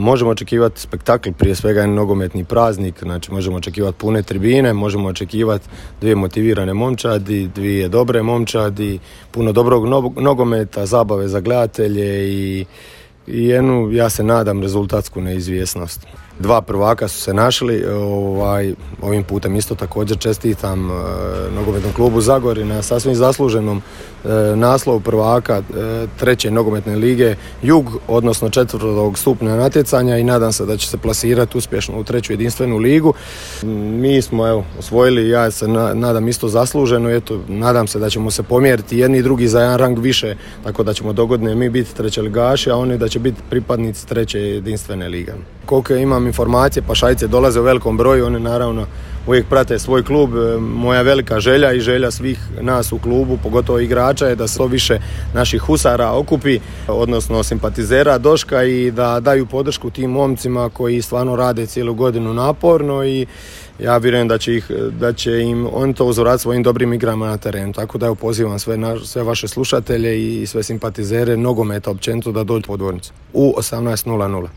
Možemo očekivati spektakl, prije svega je nogometni praznik, znači možemo očekivati pune tribine, možemo očekivati 2 motivirane momčadi, 2 dobre momčadi, puno dobrog nogometa, zabave za gledatelje i jednu, ja se nadam, rezultatsku neizvjesnost. 2 prvaka su se našli, ovim putem isto također čestitam nogometnom klubu Zagori na sasvim zasluženom naslovu prvaka 3. nogometne lige Jug, odnosno 4. stupnja natjecanja i nadam se da će se plasirati uspješno u 3. jedinstvenu ligu. Mi smo osvojili, ja se nadam isto zasluženo, nadam se da ćemo se pomjeriti jedni i drugi za jedan rang više, tako da ćemo dogodine mi biti trećeligaši, a oni da će biti pripadnici 3. jedinstvene lige. Koliko imam informacije, Pašajce dolaze u velikom broju, oni naravno uvijek prate svoj klub. Moja velika želja i želja svih nas u klubu, pogotovo igrača, je da se više naših husara okupi, odnosno simpatizera Doška, i da daju podršku tim momcima koji stvarno rade cijelu godinu naporno i ja vjerujem da će im on to uzorati svojim dobrim igrama na terenu. Tako da pozivam sve vaše slušatelje i sve simpatizere nogometa općenito da dođu u Podvornicu u 18:00.